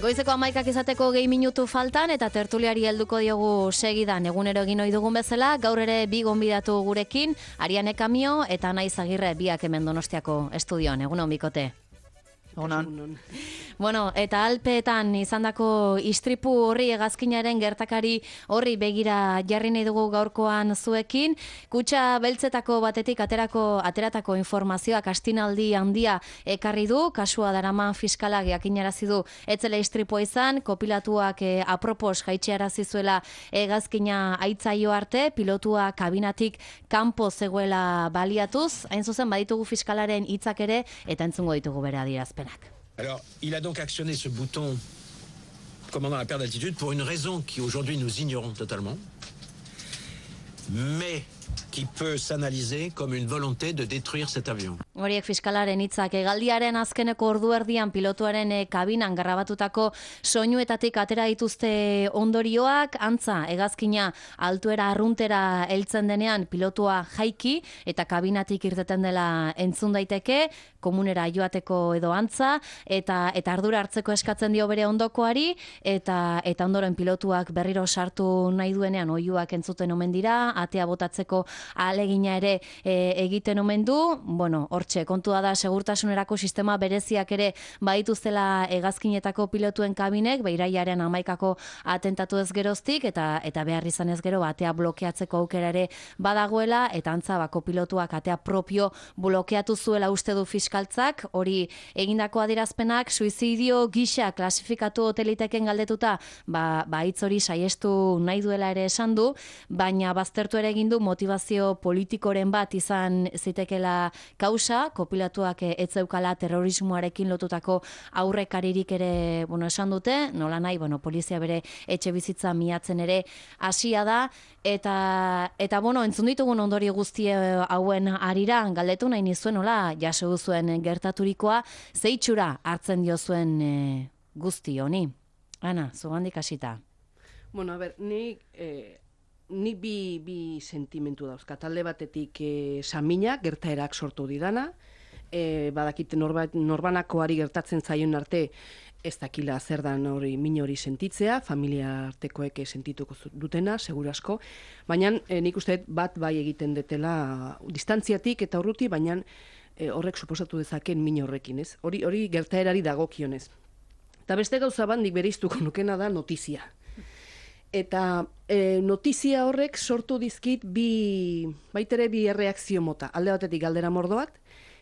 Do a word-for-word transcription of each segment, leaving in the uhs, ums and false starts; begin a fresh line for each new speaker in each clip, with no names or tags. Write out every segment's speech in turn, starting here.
Goizeko hamaikak izateko gehi minutu faltan eta tertuliari helduko diogu segidan egunero egin ohi dugun bezala, gaur ere bi gonbidatu gurekin, Ariane Kamio eta Naiz Agirre, biak hemen Donostiako estudioan. Egunon bikote.
Egunon.
Bueno, eta Alpeetan izandako istripu horri hegazkinaren gertakari horri begira jarri nahi dugu gaurkoan zuekin. Kutxa beltzetako batetik aterako ateratako informazioak astinaldi handia ekarri du, kasua daraman fiskalak jakinarazi du etzela istripua izan, kopilatuak eh, apropos jaitxearazi zuela hegazkina aitzaio arte, pilotua kabinatik kanpo zegoela baliatuz, hain zuzen baditugu fiskalaren hitzak ere eta entzungo ditugu bere adierazpenak.
Alors, il a donc actionné ce bouton commandant la perte d'altitude pour une raison qui aujourd'hui nous ignorons totalement, mais qui peut s'analyser comme une volonté de détruire cet avion.
Horiek fiskalaren hitzak hegaldiaren azkeneko ordu erdian pilotuaren eh, kabinan grabatutako soinuetatik atera dituzte ondorioak, antza hegazkina altuera arruntera heltzen denean pilotua jaiki eta kabinatik irteten dela entzun daiteke, komunera joateko edo antza, eta eta ardura hartzeko eskatzen dio bere ondokoari, eta eta ondoren pilotuak berriro sartu nahi duenean oihuak entzuten omen dira, atea botatzeko ahalegina ere e, egiten omen du. Bueno, hortxe, kontua da segurtasunerako sistema bereziak ere badituztela hegazkinetako pilotuen kabinek, beiraiaren hamaikako atentatu ez geroztik, eta eta behar izan ez gero atea blokeatzeko aukera ere badagoela, eta antza bako pilotuak atea propio blokeatu zuela uste du fiskaltzak, hori egindako adierazpenak suizidio gisa klasifikatu hoteliteken galdetuta, ba, ba hitz hori saiestu nahi duela ere esan du, baina baztertu ere egin du motivazio politikoren bat izan zitekela kausa, kopilatuak ez zeukala terrorismoarekin lotutako aurrekaririk ere, bueno, esan dute, nola nahi, bueno, polizia bere etxe bizitza miatzen ere hasia da, eta, eta bueno, entzun ditugun ondorio guztie hauen arira, galdetu nahi nizuen, nola, jaso duzuen gertaturikoa, zeitxura hartzen diozuen e, guzti honi. Ana, zugandik hasita.
Bueno, a ber, ni... Eh... Ni bi, bi sentimentu dauzkat. Talde batetik e, samina, gertaerak sortu didana, e, badakite norba, norbanakoari gertatzen zaion arte ez dakila zer dan hori min hori sentitzea, familia artekoek sentituko dutena, segurasko, baina e, nik uste bat bai egiten detela distantziatik eta urruti, baina e, horrek suposatu dezaken min horrekin, ez? Hori, hori gertaerari dagokionez. Eta beste gauza bat nik bereiztuko nukena da notizia. Eta e, notizia horrek sortu dizkit bi, baitere bi erreakzio mota. Alde batetik galdera mordoak,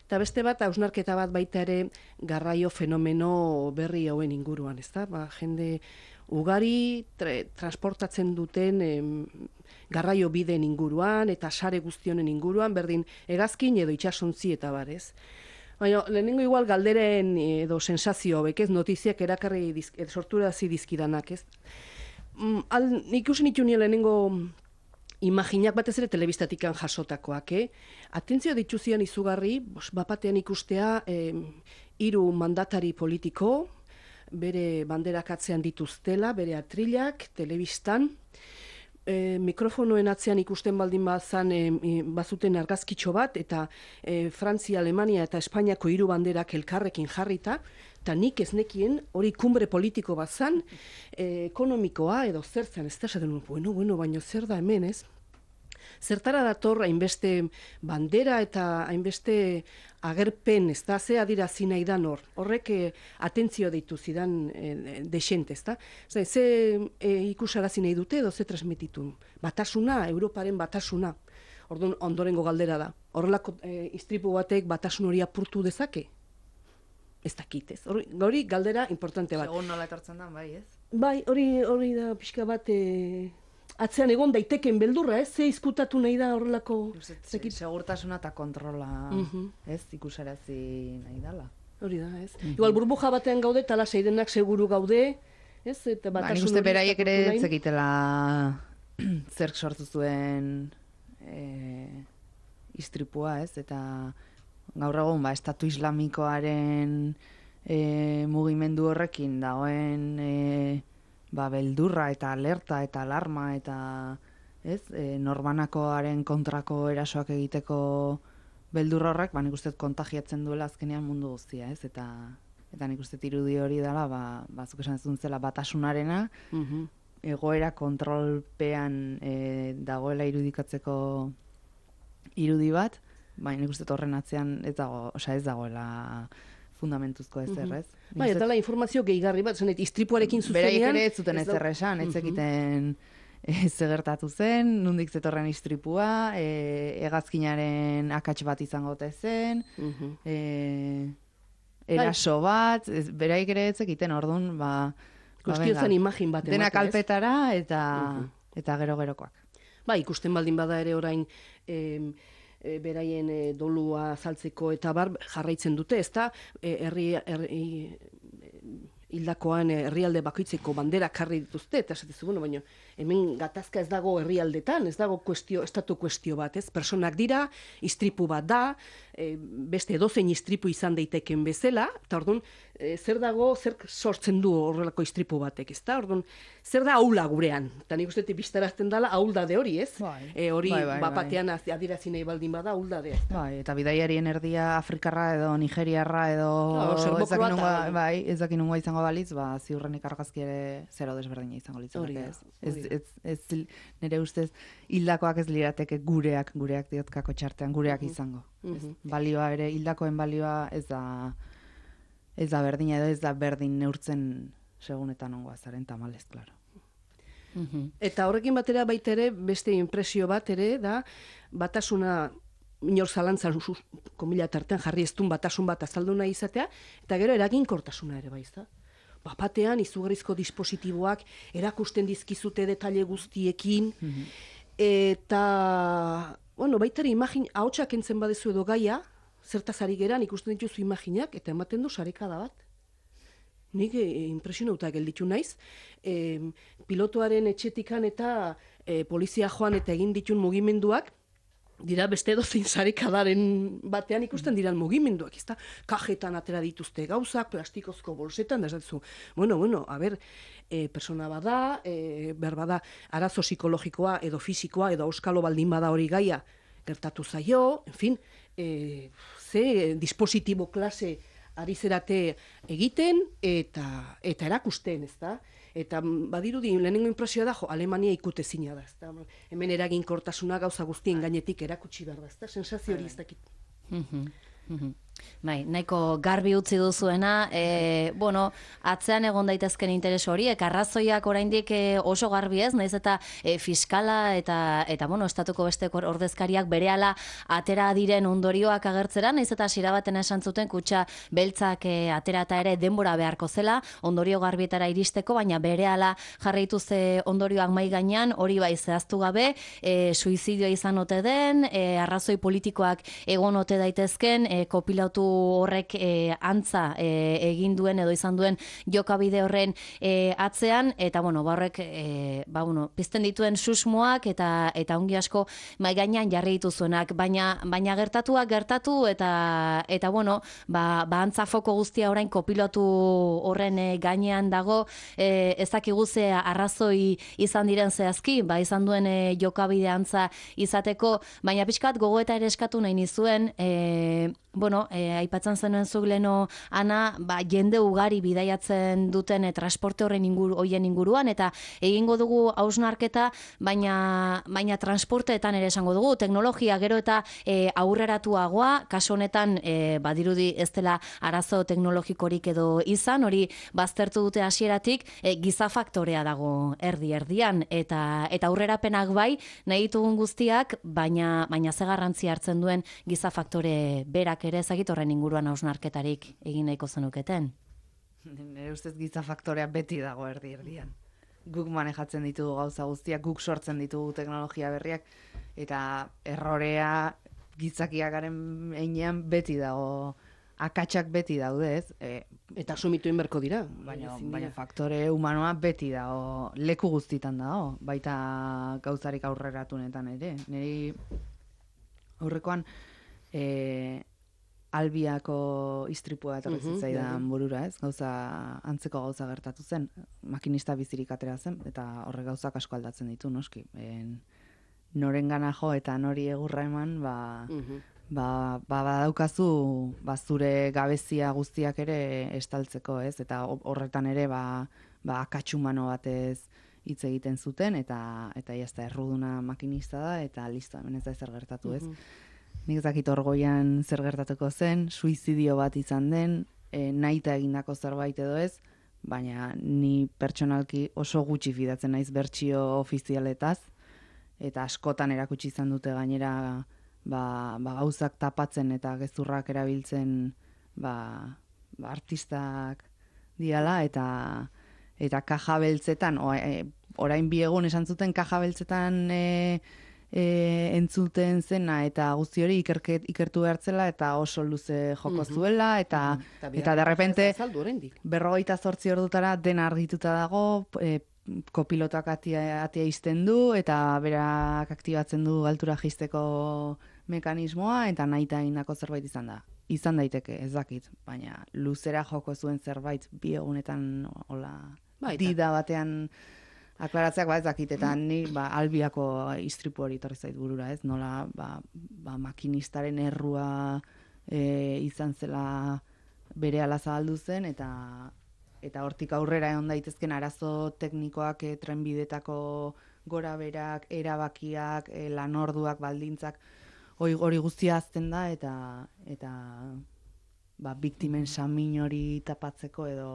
eta beste bat hausnarketa bat baita ere garraio fenomeno berri hauen inguruan, ezta? Ba, jende ugari tre, transportatzen duten em, garraio bideen inguruan eta sare guztionen inguruan, berdin hegazkin edo itsasontzi eta barez. Baina, lehenengo igual galderen edo sensazio hobek, ez, notiziak erakarri diz, sorturazi dizkidanak, ez? Al, ikusi nitu nire lehenengo imaginak batez ere telebistatikan jasotakoak, eh? Atentzio dituzian izugarri, bos, bapatean ikustea eh, hiru mandatari politiko, bere banderak atzean dituztela, bere atrilak, telebistan, e, mikrofonoen atzean ikusten baldin bazan e, bazuten argazkitxo bat, eta e, Frantzia, Alemania eta Espainiako hiru banderak elkarrekin jarrita, eta nik ez nekien hori kumbre politiko bat zan, e, ekonomikoa edo zertzen, ez da esaten, bueno, bueno, baino zer da hemen, ez? Zertara dator hainbeste bandera eta hainbeste agerpen, ez da, ze adirazi nahi da hor. Horrek eh, atentzio deitu zidan eh, desente, ez da? Ze, ze eh, ikusarazi nahi dute edo ze transmititu. Batasuna, Europaren batasuna. Orduan, ondorengo galdera da. Horrelako eh, istripu batek batasun hori apurtu dezake? Ez dakit, ez. Hori, hori galdera importante bat.
Segun nola etortzen da, bai, ez?
Bai, hori, hori da pixka bat... Eh, atzean egon daiteken beldurra, ez? Ze izkutatu nahi da horrelako...
Segurtasuna eta kontrola, uh-huh. ez? Ikusarazi nahi dala.
Hori da, ez? Uh-huh. Igual burbuja batean gaude, tala seirenak seguru gaude, ez? Eta
ba, nik uste beraiek ere zekitela zerk sortu zuen e, istripua, ez? Eta gaur egun, ba, estatu islamikoaren e, mugimendu horrekin dagoen... E, ba, beldurra eta alerta eta alarma eta ez, e, norbanakoaren kontrako erasoak egiteko beldur horrek, ba, nik uste kontagiatzen duela azkenean mundu guztia, ez, eta eta nik uste irudi hori dela, ba, bazuk esan zuntzela batasunarena,
Mhm.
egoera kontrolpean e, dagoela irudikatzeko irudi bat, baina nik uste horren atzean ez dago, osea ez dagoela fundamentuzko ezer, ez?
Bai, eta la informazio gehigarri bat, zenet, istripuarekin zuzenean...
Beraiek ere ez zuten
ez
ezer
dau-
esan, ez
Mhm.
zekiten ez gertatu zen, nondik zetorren istripua, e, hegazkinaren akats bat izango ote zen,
Mhm.
e, eraso bat, ez, beraiek ere ez zekiten, orduan, ba... ba,
Guztio
venga,
zen imagin bat
Dena
ematea, ez?
kalpetara eta,
Mhm.
eta gero-gerokoak.
Ba, ikusten baldin bada ere orain em, e, beraien e, dolua azaltzeko eta bar jarraitzen dute, ezta? E, herri, herri e, hildakoan herrialde bakoitzeko banderak jarri dituzte, eta esatezu, bueno, baina hemen gatazka ez dago herrialdetan, ez dago kuestio, estatu kuestio bat, ez? Personak dira, istripu bat da, e, beste edozein istripu izan daiteken bezala, eta orduan, e, zer dago, zer sortzen du horrelako istripu batek, ezta? Orduan, zer da aula gurean? Eta nik uste biztarazten dela auldade hori, ez?
Bai.
E, hori
Bai, bai,
bapatean bai. Adierazi nahi baldin bada auldadea. ezta?
Bai, eta bidaiarien erdia afrikarra edo nigeriarra edo
Claro, serbo
ez dakin
kroata,
nungoa,
bai.
bai, ez dakin nungoa izango balitz, ba ziurrenik argazki ere zero desberdina izango
Hori
litzateke,
da,
ez. Ez,
hori da.
ez, ez, nire ustez hildakoak ez lirateke gureak, gureak diotkako txartean, gureak izango. Ez,
Mhm.
balioa ere, hildakoen balioa ez da ez da berdina edo ez da berdin neurtzen segunetan ongoa zaren tamalez, klaro.
Mhm.
Eta horrekin batera baita ere, beste impresio bat ere, da, batasuna inor zalantzan sus- komila tartean jarri eztun batasun bat azaldu nahi izatea, eta gero eraginkortasuna ere baizta. Bapatean izugarrizko dispositiboak erakusten dizkizute detaile guztiekin, eta, bueno, baita ere imagin, ahotsak entzen badezu edo gaia, zertaz ari geran ikusten dituzu imaginak, eta ematen du sarekada bat. Nik e, impresionauta gelditu naiz, e, pilotuaren etxetikan eta e, polizia joan eta egin ditun mugimenduak, dira beste edozein sarekadaren batean ikusten diran mugimenduak, ezta? Kajetan atera dituzte gauzak, plastikozko bolsetan, da esatzu, bueno, bueno, a ber, e, persona bada, e, behar bada, arazo psikologikoa edo fisikoa edo auskalo baldin bada hori gaia gertatu zaio, en fin, e, ze dispositibo klase ari zerate egiten eta eta erakusten, ezta? Eta mm, badirudi lehenengo impresioa da, jo, Alemania ikutezina da, ezta? Hemen eraginkortasuna gauza guztien gainetik erakutsi behar da, ezta? Sensazio hori ez dakit.
Mhm, mhm. Bai, nahiko garbi utzi duzuena, e, bueno, atzean egon daitezken interes horiek, arrazoiak oraindik e, oso garbi ez, naiz eta e, fiskala eta, eta bueno, estatuko beste kor- ordezkariak berehala atera diren ondorioak agertzera, naiz eta hasiera baten esan zuten kutxa beltzak e, aterata ere denbora beharko zela, ondorio garbietara iristeko, baina berehala jarraitu ze ondorioak mai gainean, hori bai zehaztu gabe, e, suizidioa izan ote den, e, arrazoi politikoak egon ote daitezken, e, kopilatu horrek e, antza e, egin duen edo izan duen jokabide horren e, atzean, eta bueno, ba horrek e, ba, bueno, pizten dituen susmoak eta eta ongi asko mai gainean jarri dituzuenak, baina baina gertatuak gertatu eta eta bueno, ba, ba antza foko guztia orain kopilotu horren e, gainean dago, e, ez dakigu ze arrazoi izan diren zehazki, ba izan duen e, jokabide antza izateko, baina pixkat gogoeta ere eskatu nahi nizuen, e, bueno, e, aipatzen zenuen zuk leno, Ana, ba, jende ugari bidaiatzen duten e, transporte horren inguru, hoien inguruan, eta egingo dugu hausnarketa, baina, baina transporteetan ere esango dugu, teknologia gero eta e, aurreratuagoa, kasu honetan, e, badirudi ez dela arazo teknologikorik edo izan, hori baztertu dute hasieratik, e, giza faktorea dago erdi-erdian, eta eta aurrerapenak bai, nahi ditugun guztiak, baina, baina ze garrantzi hartzen duen giza faktore berak ere ezagit horren inguruan hausnarketarik egin nahiko zenuketen.
Nire ustez giza faktorea beti dago erdi erdian. Guk manejatzen ditugu gauza guztiak, guk sortzen ditugu teknologia berriak, eta errorea gizakiakaren heinean beti dago, akatsak beti daude, ez? E,
Eta asumitu inberko dira.
baina,
ezin
baina
dira.
faktore humanoa beti dago, leku guztitan dago, baita gauzarik aurreratunetan ere. Niri aurrekoan e, Albiako istripua etorri
Mhm,
zitzaidan
bai.
burura, ez? Gauza, antzeko gauza gertatu zen, makinista bizirik atera zen, eta horre gauzak asko aldatzen ditu, noski. En, norengana jo eta nori egurra eman, ba,
Mhm.
ba, ba badaukazu ba, zure gabezia guztiak ere estaltzeko, ez? Eta horretan ere ba, ba akatxumano batez hitz egiten zuten, eta eta jazta erruduna makinista da, eta listo, hemen ez da ezer gertatu, ez? Mm-hmm. Nik ez dakit orgoian zer gertatuko zen, suizidio bat izan den, e, nahita egindako zerbait edo ez, baina ni pertsonalki oso gutxi fidatzen naiz bertsio ofizialetaz, eta askotan erakutsi izan dute gainera ba, ba gauzak tapatzen eta gezurrak erabiltzen ba, ba artistak diala, eta eta kaja beltzetan, o, e, orain bi egun esan zuten kaja beltzetan e, e, entzuten zena, eta guzti hori ikerket, ikertu behartzela, eta oso luze joko zuela, eta, mm-hmm. eta derrepente berrogeita zortzi ordutara dena argituta dago, e, kopilotak atia, atia izten du, eta berak aktibatzen du altura jaisteko mekanismoa, eta nahita indako zerbait izan da. Izan daiteke, ez dakit, baina luzera joko zuen zerbait bi egunetan hola dida batean aklaratzeak ba ez dakit, eta ni ba, albiako istripu hori torri zait burura, ez? Nola ba, ba, makinistaren errua e, izan zela berehala zabaldu zen, eta eta hortik aurrera egon daitezken arazo teknikoak, e, trenbidetako gora berak, erabakiak, e, lanorduak, baldintzak, hori hori guztia azten da, eta eta ba, biktimen samin hori tapatzeko edo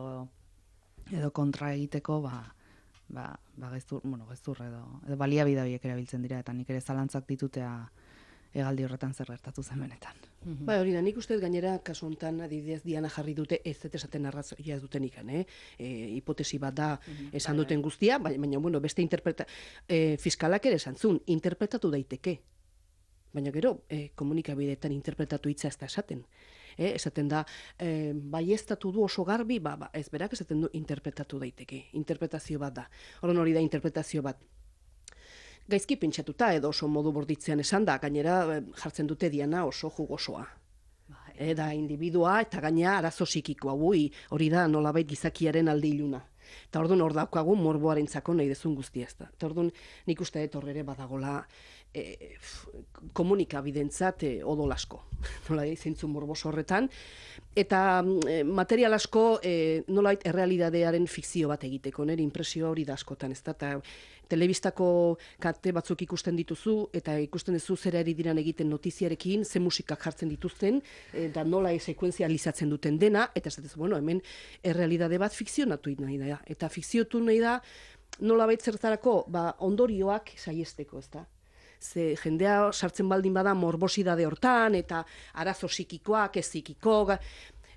edo kontra egiteko ba, ba, ba gezur, bueno, gezur edo, edo baliabide horiek erabiltzen dira, eta nik ere zalantzak ditutea hegaldi horretan zer gertatu zen benetan.
Mm-hmm. Ba, hori da, nik uste gainera kasu honetan adibidez Diana jarri dute ez dut esaten arrazoia duten ikan, eh? E, hipotesi bat da mm-hmm. esan duten guztia, baina, baina bueno, beste interpreta, e, fiskalak ere esan zuen, interpretatu daiteke. Baina gero, e, komunikabideetan interpretatu hitza ez da esaten. E, esaten da, e, baieztatu du oso garbi, ba, ba, ez berak esaten du interpretatu daiteke. Interpretazio bat da. Horren hori da interpretazio bat. Gaizki pentsatuta edo oso modu borditzean esan da, gainera jartzen dute Diana oso jugosoa. E, da individua eta gaina arazo psikikoa, ui, hori da nolabait gizakiaren alde iluna. Eta orduan hor daukagu morboarentzako nahi dezun guztia ez da. Eta orduan nik uste dut horrere badagola e, komunikabidentzat e, odol asko. Nola zentzu morbos horretan. Eta e, material asko e, nolait errealidadearen fikzio bat egiteko, nire impresio hori da askotan, ez da, eta telebistako kate batzuk ikusten dituzu, eta ikusten duzu zera eri diran egiten notiziarekin, ze musikak jartzen dituzten, eta nola sekuenzializatzen duten dena, eta ez da, bueno, hemen errealidade bat fikzionatu nahi da, eta fikziotu nahi da, nola baitzertarako, ba, ondorioak saiesteko, ez da. Ze jendea sartzen baldin bada morbosidade hortan, eta arazo psikikoak, ez psikikoak,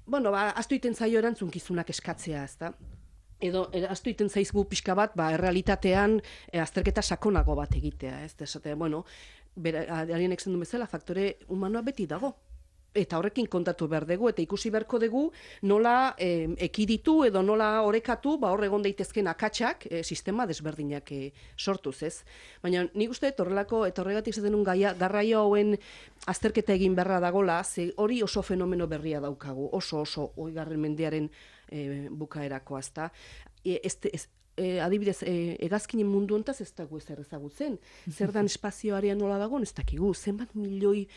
bueno, ba, aztu iten zaio erantzunkizunak eskatzea, ez da. Edo, aztu iten zaizgu pixka bat, ba, errealitatean e, azterketa sakonago bat egitea, ez da, esate, bueno, alienek zen du bezala, faktore humanoa beti dago. Eta horrekin kontatu behar dugu, eta ikusi beharko dugu nola e, ekiditu edo nola orekatu, ba hor egon daitezken akatsak, e, sistema desberdinak e, sortuz, ez? Baina nik uste horrelako, eta horregatik zaten un gaia, garraio hauen azterketa egin beharra dagola, ze hori oso fenomeno berria daukagu, oso oso oigarren mendearen e, bukaerakoa, ezta? E, ez, ez, e, adibidez, e, hegazkinen mundu hontaz ez dago ezer ezagutzen. Zer dan espazioarean nola dagoen, ez dakigu, zenbat milioi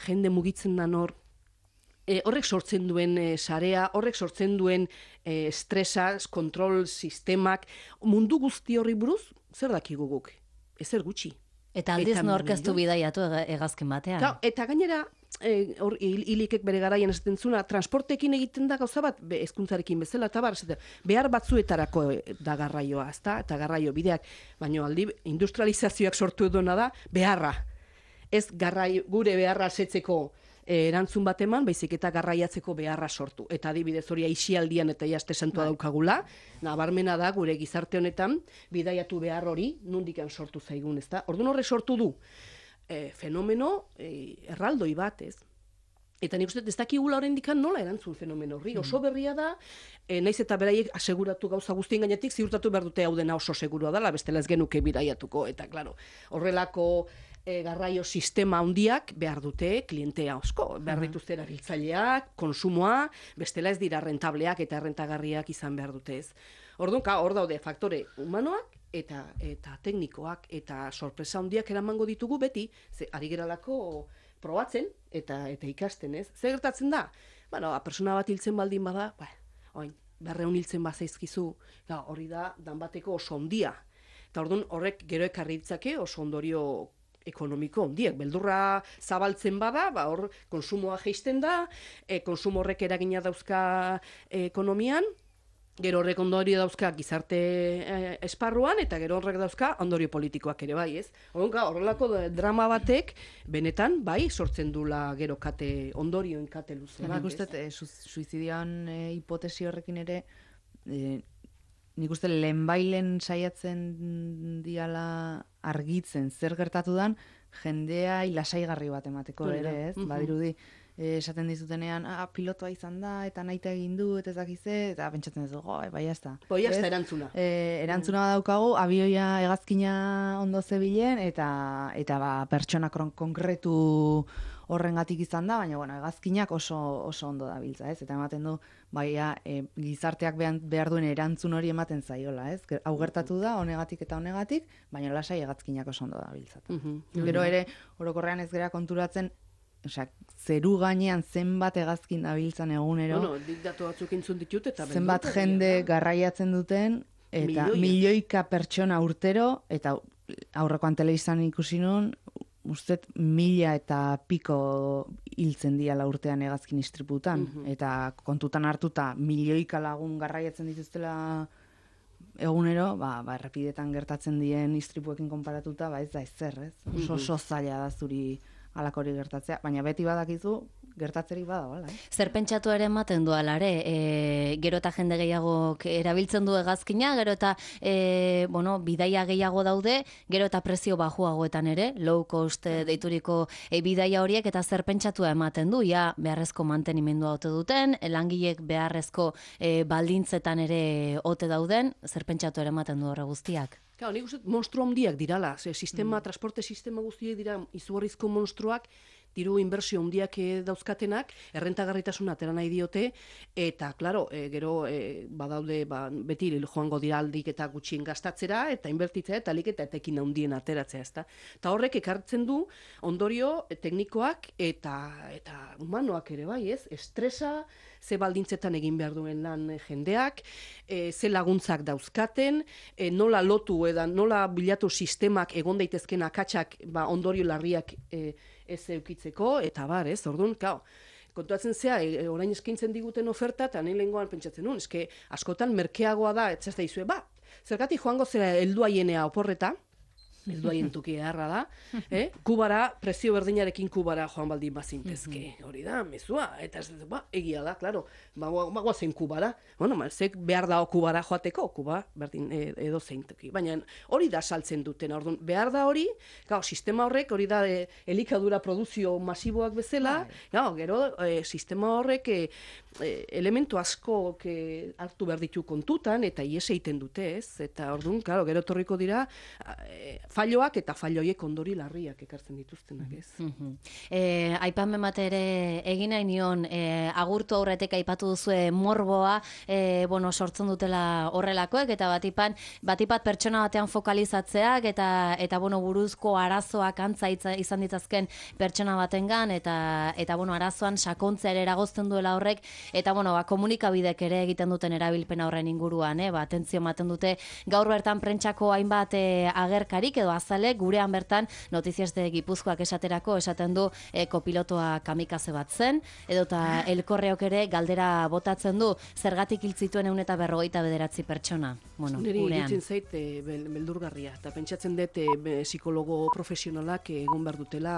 jende mugitzen da nor, E, horrek sortzen duen e, sarea, horrek sortzen duen e, estresa, kontrol sistemak, mundu guzti horri buruz, zer dakigu guk? Ezer gutxi.
Eta aldiz norkeztu bidaiatu hegazkin batean.
Ka, eta gainera, e, hor, hilikek bere garaian esaten zuna, transportekin egiten da gauza bat, be, hezkuntzarekin bezala, eta bar, behar batzuetarako da garraioa, ezta? Eta garraio bideak, baina aldi industrializazioak sortu edona da, beharra. Ez garraio, gure beharra setzeko erantzun bat eman, baizik eta garraiatzeko beharra sortu. Eta adibidez hori aixialdian eta jaste santua daukagula, nabarmena da gure gizarte honetan, bidaiatu behar hori, nundikan sortu zaigun, ezta? Orduan horre sortu du, e, fenomeno e, erraldoi bat, ez? Eta nik uste ez dakigula oraindikan nola erantzun fenomeno horri. Oso berria da, e, naiz eta beraiek aseguratu gauza guztien gainetik, ziurtatu behar dute hau dena oso segurua dela, bestela ez genuke bidaiatuko. Eta, klaro, horrelako e, garraio sistema handiak behar dute klientea asko. Behar dituzte erabiltzaileak, konsumoa, bestela ez dira rentableak eta errentagarriak izan behar dute ez. Orduan, hor daude faktore humanoak, eta eta teknikoak, eta sorpresa handiak eramango ditugu beti, ze ari geralako probatzen eta eta ikasten, ez? Zer gertatzen da? Bueno, pertsona bat hiltzen baldin bada, ba, oin, berreun hiltzen bazaizkizu, ja, hori da danbateko oso ondia. Eta orduan horrek gero ekarri ditzake oso ondorio ekonomiko ondiek. Beldurra zabaltzen bada, ba, hor konsumoa jaisten da, e, konsumo horrek eragina dauzka e, ekonomian, gero horrek ondorio dauzka gizarte eh, esparruan, eta gero horrek dauzka ondorio politikoak ere bai, ez? Horrenka, horrelako drama batek, benetan, bai, sortzen dula gero kate, ondorioen kate luze bat,
Nik uste, eh, suizidioan eh, hipotesi horrekin ere, eh, nik uste lehenbailen saiatzen diala argitzen zer gertatu dan, jendea lasaigarri bat emateko ere, ez?
Mhm.
Badirudi, eh, esaten dizutenean, ah, pilotoa izan da, eta naita egin du, eta ez dakize, eta pentsatzen ez dugu, bai, jazta.
Bai, jazta erantzuna.
E, erantzuna badaukagu, abioia hegazkina ondo zebilen, eta, eta ba, pertsona kron- konkretu horrengatik izan da, baina bueno, hegazkinak oso, oso ondo dabiltza, ez? Eta ematen du, baina e, gizarteak behar, behar duen erantzun hori ematen zaiola, ez? Ger- Hau gertatu da, honegatik eta honegatik, baina lasai hegazkinak oso ondo dabiltza.
Mhm.
Gero ere, orokorrean ez gera konturatzen, osea, zeru gainean zenbat hegazkin dabiltzan egunero,
Bueno, dik datu batzuk entzun ditut, eta
zenbat
beldurgarria
jende
da.
garraiatzen duten, eta
Milioia.
milioika pertsona urtero, eta aurrekoan telebistan ikusi nun, ustet mila eta piko hiltzen diala urtean hegazkin istriputan,
Mhm.
eta kontutan hartuta milioika lagun garraiatzen dituztela egunero, ba, ba, errepidetan gertatzen dien istripuekin konparatuta, ba ez da ezer, ez? Oso oso zaila da zuri halakori gertatzea, baina beti badakizu gertatzerik badagoela, eh?
Zer pentsatu ere ematen du alare, e, gero eta jende gehiagok erabiltzen du hegazkina, gero eta e, bueno, bidaia gehiago daude, gero eta prezio bajuagoetan ere, low cost e, deituriko e, bidaia horiek, eta zer pentsatua ematen du, ja beharrezko mantenimendua ote duten, langilek beharrezko e, baldintzetan ere ote dauden, zer pentsatu ere ematen du horre guztiak.
Claro, nik uste monstru handiak dirala, ze sistema, transporte sistema guztiek dira izugarrizko monstruak, diru inbertsio handiak eh, dauzkatenak, errentagarritasuna atera nahi diote, eta, claro, e, gero e, badaude, ba, beti joango dira aldik eta gutxien gastatzera, eta inbertitzea, eta alik eta etekin handien ateratzea, ezta. Eta horrek ekartzen du ondorio eh, teknikoak eta eta humanoak ere bai, ez? Estresa, ze baldintzetan egin behar duen lan eh, jendeak, e, ze laguntzak dauzkaten, e, nola lotu eda nola bilatu sistemak egon daitezken akatsak ba, ondorio larriak e, ez eukitzeko, eta bar, ez? Orduan, kao, kontuatzen zea, e, orain eskaintzen diguten oferta, eta nahi lehengoan pentsatzen nuen, eske askotan merkeagoa da, ez da izue, ba, zergatik joango zera helduaienea oporreta, helduaien tuki eharra da, eh? Kubara, prezio berdinarekin Kubara joan baldin bazintezke, hori da, mezua, eta ez da, ba, egia da, klaro, bagoa zen Kubara, bueno, mazek behar da Kubara joateko, Kuba, berdin, e, edo zein toki, baina hori da saltzen duten, orduan, behar da hori, gau, sistema horrek, hori da, e, elikadura produzio masiboak bezala, gau, gero, e, sistema horrek, e, e, elementu asko e, hartu behar ditu kontutan, eta ies egiten dute, ez, eta orduan, claro, gero torriko dira, e, falloak eta falloiek ondori larriak ekartzen dituztenak, ez?
Mhm. E, aipamen bat ere egin nahi nion, e, agurtu aurretek aipatu duzue morboa, e, bueno, sortzen dutela horrelakoek, eta batipan, batipat pertsona batean fokalizatzeak, eta, eta bueno, buruzko arazoak antza itza- izan ditzazken pertsona batengan, eta, eta bueno, arazoan sakontzea ere eragozten duela horrek, eta bueno, ba, komunikabidek ere egiten duten erabilpena horren inguruan, eh? Ba, atentzio ematen dute gaur bertan prentsako hainbat e, agerkarik, edo azale, gurean bertan Notizias de Gipuzkoak esaterako esaten du e, kopilotoa kamikaze bat zen, edota elkorreok ere galdera botatzen du zergatik hil zituen ehun eta berrogeita bederatzi pertsona. Bueno,
Neri
gurean.
iruditzen zait e, bel- beldurgarria, eta pentsatzen dut e, be- psikologo profesionalak e, egon behar dutela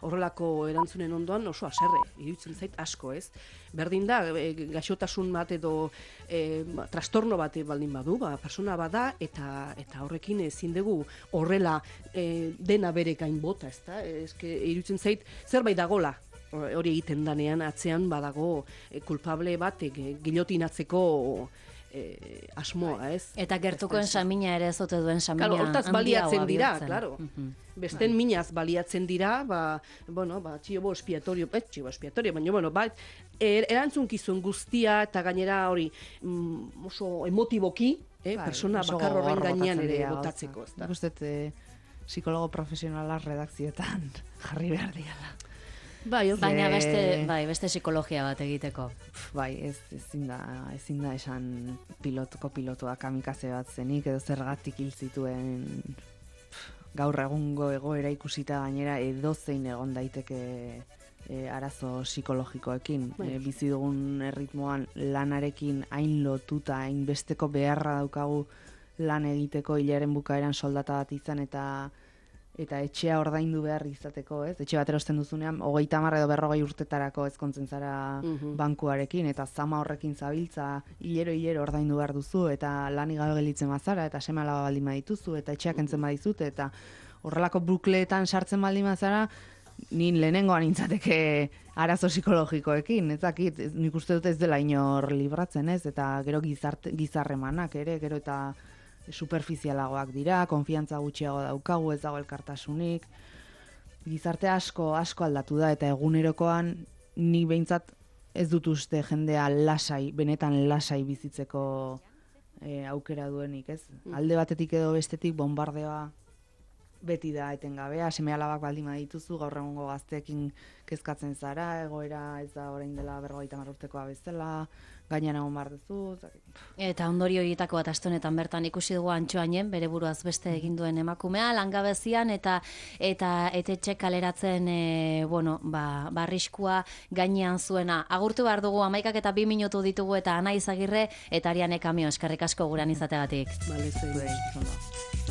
horrelako erantzunen ondoan oso haserre, iruditzen zait asko, ez? Berdin da, e, gaixotasun bat edo e, ba, trastorno bat baldin badu, ba, persona bada, eta eta horrekin ezin dugu horrela e, dena bere gain bota, ezta? Eske iruditzen zait zerbait dagola hori egiten danean atzean badago e, kulpable bat e, gilotinatzeko e, asmoa, ez?
Eta gertukoen samina ere ez ote duen samina
Claro, hortaz baliatzen
handiagoa
dira,
bihurtzen.
claro.
Mhm.
Besten minaz baliatzen dira, ba, bueno, ba, txibo espiatorio, eh, txibo espiatorio, baina, bueno, ba, er, erantzunkizun guztia, eta gainera hori mm, oso emotiboki, eh,
Bai,
persona
oso
bakar horren
gogor
gainean
botatzen
ere
dira
botatzeko,
gauzak.
ezta?
Nik uste, eh, psikologo profesionala redakzioetan jarri behar diala.
Bai, oso.
Baina
Ze-
beste, bai, beste psikologia bat egiteko.
Bai, ez, ezin da, ezin da esan pilotoko pilotua kamikaze bat zenik, edo zergatik hil zituen gaur egungo egoera ikusita gainera edozein egon daiteke e, arazo psikologikoekin.
Bai.
E, bizi dugun erritmoan lanarekin hain lotuta, hain besteko beharra daukagu lan egiteko hilaren bukaeran soldata bat izan eta eta etxea ordaindu behar izateko, ez? Etxe bat erosten duzunean, hogeita hamar edo berrogei urtetarako ezkontzen zara
Mhm.
bankuarekin, eta zama horrekin zabiltza, hilero-hilero ordaindu behar duzu, eta lanik gabe gelditzen bazara, eta seme alaba baldin badituzu, eta etxeak entzen badizute, eta horrelako bukleetan sartzen baldin bazara, nin lehenengoan nintzateke arazo psikologikoekin, ez dakit, ez- nik uste dut ez dela inor libratzen, ez? Eta gero gizarte, gizarremanak ere, gero eta superfizialagoak dira, konfiantza gutxiago daukagu, ez dago elkartasunik. Gizarte asko asko aldatu da eta egunerokoan ni behintzat ez dut uste jendea lasai, benetan lasai bizitzeko e, aukera duenik, ez? Alde batetik edo bestetik bombardeoa beti da etengabea, seme alabak baldin badituzu, gaur egungo gazteekin kezkatzen zara, egoera ez da orain dela berrogeita hamar urtekoa bezala, gainean egon behar duzu, ez dakit.
Eta ondorio horietako bat aste honetan bertan ikusi dugu Antxoainen, bere buruaz beste egin duen emakumea, langabezian eta eta etetxe kaleratzen e, bueno, ba, barriskua gainean zuena. Agurtu behar dugu hamaikak eta bi minutu ditugu eta Anaiz Agirre eta Ariane Kamio, eskerrik asko guran izateagatik.
Bale, zein.
Zuei, ondo.